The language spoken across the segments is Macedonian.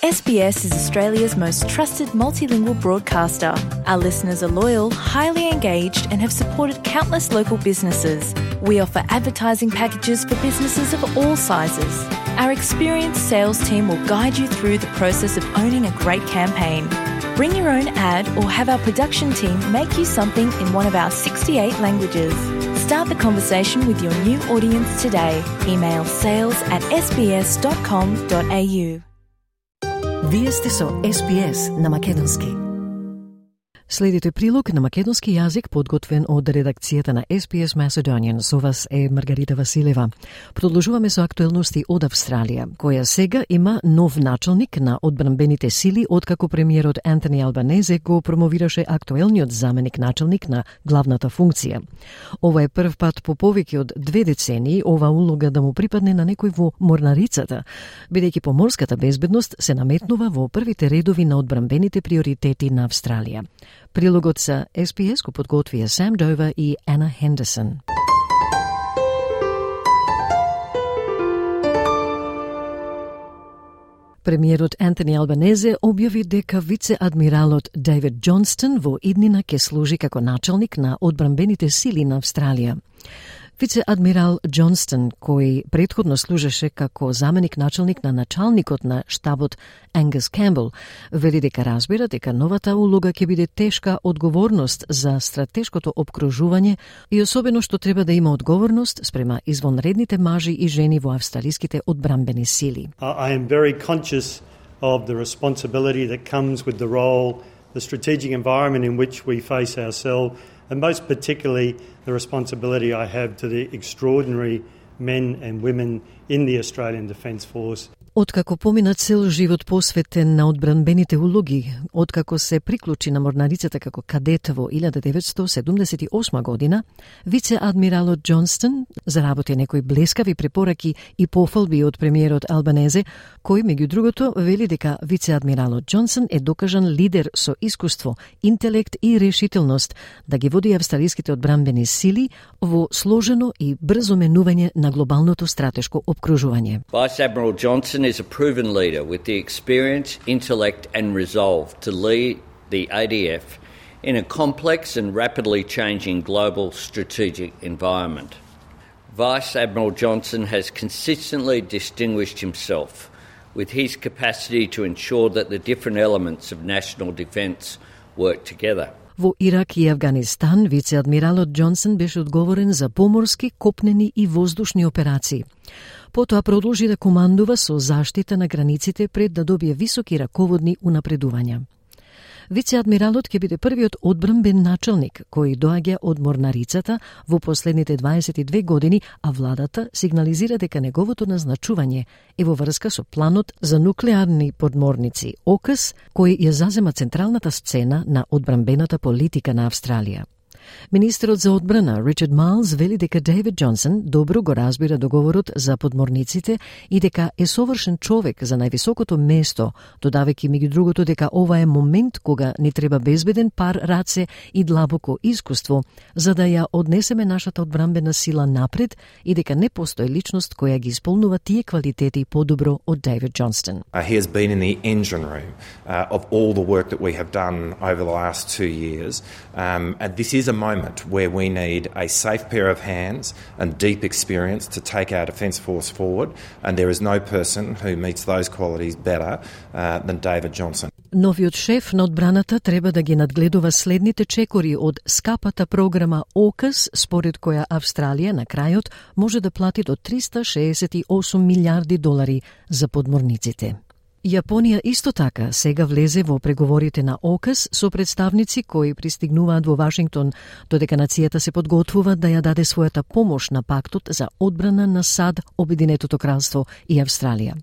SBS is Australia's most trusted multilingual broadcaster. Our listeners are loyal, highly engaged, and have supported countless local businesses. We offer advertising packages for businesses of all sizes. Our experienced sales team will guide you through the process of owning a great campaign. Bring your own ad or have our production team make you something in one of our 68 languages. Start the conversation with your new audience today. Email sales@sbs.com.au. Вие сте со SBS на македонски. Следите прилог на македонски јазик подготвен од редакцијата на SBS Macedonian. Со вас е Маргарита Василева. Продолжуваме со актуелности од Австралија, која сега има нов началник на одбранбените сили, откако премиерот Антони Албанезе го промовираше актуелниот заменик началник на главната функција. Ова е прв пат по повеќе од 2 децении ова улога да му припадне на некој во морнарицата, бидејќи поморската безбедност се наметнува во првите редови на одбранбените приоритети на Австралија. Прилогот за SBS го подготвија Сам Дова и Ана Хендерсон. Премиерот Антони Албанезе објави дека вице-адмиралот Дейвид Џонстон во иднина ќе служи како началник на одбранбените сили на Австралија. Вице-адмирал Џонстон, кој претходно служеше како заменик началник на началникот на штабот Ангус Кембл, вели дека разбира дека новата улога ќе биде тешка одговорност за стратешкото опкружување и особено што треба да има одговорност спрема извонредните мажи и жени во австралиските одбранбени сили. I am very conscious of the responsibility that comes with the role, the strategic environment in which we face ourselves, and most particularly the responsibility I have to the extraordinary men and women in the Australian Defence Force. Откако помина цел живот посветен на одбранбените улоги, откако се приклучи на морнарицата како кадет во 1978 година, вице-адмиралот Џонстон заработи некои блескави препораки и пофалби од премиерот Албанезе, кој меѓу другото вели дека вице-адмиралот Џонстон е докажан лидер со искуство, интелект и решителност да ги води австралиските одбранбени сили во сложено и брзо менување на глобалното стратешко опкружување. Vice Admiral Johnson is a proven leader with the experience, intellect and resolve to lead the ADF in a complex and rapidly changing global strategic environment. Vice Admiral Johnson has consistently distinguished himself with his capacity to ensure that the different elements of national defence work together. Во Ирак и Авганистан, вице-адмиралот Џонстон беше одговорен за поморски, копнени и воздушни операции. Потоа продолжи да командува со заштита на границите пред да добие високи раководни унапредувања. Вице-адмиралот ќе биде првиот одбранбен началник кој доаѓа од морнарицата во последните 22 години, а владата сигнализира дека неговото назначување е во врска со планот за нуклеарни подморници ОКС, кој ја зазема централната сцена на одбранбената политика на Австралија. Министерот за одбрана Ричард Майлс вели дека Дейвид Џонстон добро го разбира договорот за подморниците и дека е совршен човек за највисокото место, додавајќи меѓу другото дека ова е момент кога ни треба безбеден пар раце и длабоко искуство за да ја однесеме нашата одбранбена сила напред и дека не постои личност која ги исполнува тие квалитети подобро од Дейвид Џонстон. He has been in the engine room of all the work that we have done over the last 2 years, and this is a moment where we need a safe pair of hands and deep experience to take our Defence Force forward, and there is no person who meets those qualities better than David Џонстон. Новиот шеф на одбраната треба да ги надгледува следните чекори од скапата програма ОКС, според која Австралија на крајот може да плати до $368 милиарди за подморниците. Јапонија исто така сега влезе во преговорите на ОКС со представници кои пристигнуваат во Вашингтон, додека нацијата се подготвува да ја даде својата помош на пактот за одбрана на САД, Обединетото кралство и Австралија.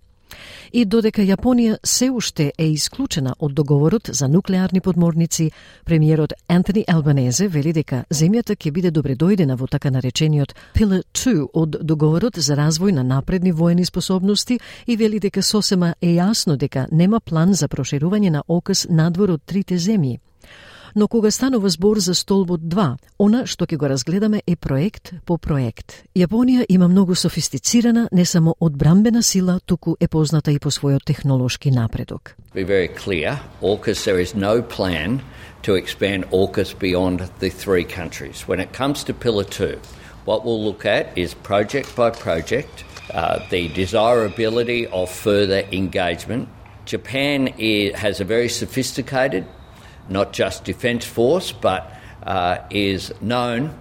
И додека Јапонија се уште е исклучена од договорот за нуклеарни подморници, премиерот Антони Албанезе вели дека земјата ќе биде добредојдена во така наречениот Pillar 2 од договорот за развој на напредни воени способности и вели дека сосема е јасно дека нема план за проширување на ОКС надвор од трите земји. Но кога станува збор за столбот 2, она што ќе го разгледаме е проект по проект. Јапонија има многу софистицирана, не само одбрамбена сила, туку е позната и по својот технолошки напредок. Be very clear, AUKUS, there is no plan to expand AUKUS beyond the 3 countries. When it comes to Pillar 2, what we'll look at is project by project, the desirability of further engagement. Japan has a very sophisticated, not just defence force, but is known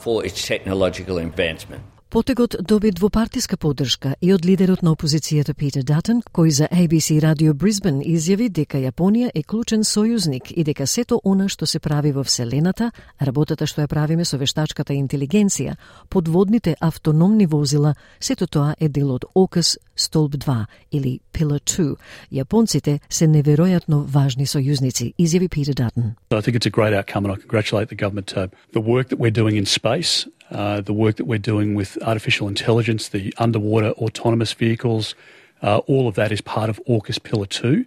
for its technological advancement. Потегот доби двопартиска поддршка и од лидерот на опозицијата Питер Датон, кој за ABC Radio Brisbane изјави дека Јапонија е клучен сојузник и дека сето она што се прави во Вселената, работата што ја правиме со вештачката интелигенција, подводните автономни возила, сето тоа е дел од AUKUS столб 2 или Pillar 2. Јапонците се неверојатно важни сојузници, изјави Питер Датон. I think it's a great outcome and I congratulate the government. The work that we're doing in space, the work that we're doing with artificial intelligence, the underwater autonomous vehicles, all of that is part of AUKUS Pillar 2,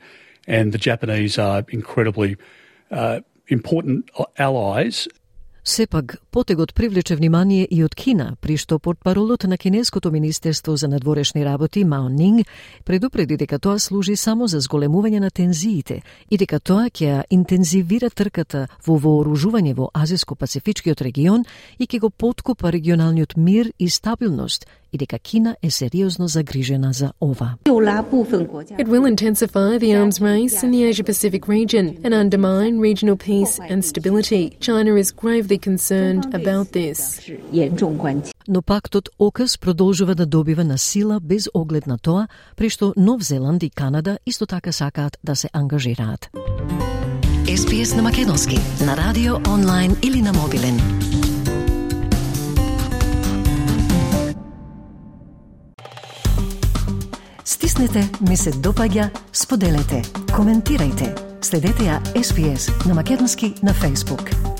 and the Japanese are incredibly important allies. Сепак, потегот привлече внимание и од Кина, при што портпаролот на Кинеското министерство за надворешни работи Мао Нинг предупреди дека тоа служи само за зголемување на тензиите и дека тоа ќе интензивира трката во вооружување во Азиско-Пацифичкиот регион и ќе го поткопа регионалниот мир и стабилност, и дека Кина е сериозно загрижена за ова. It will intensify the arms race in the Asia-Pacific region and undermine regional peace and stability. China is gravely concerned about this. Но пактот AUKUS продолжува да добива на сила без оглед на тоа, при што Нов Зеланд и Канада исто така сакаат да се ангажираат. SPS на македонски, на радио, онлайн или на мобилен. Стиснете, ми се допаѓа, споделете, коментирајте. Следете ја SPS на македонски на Facebook.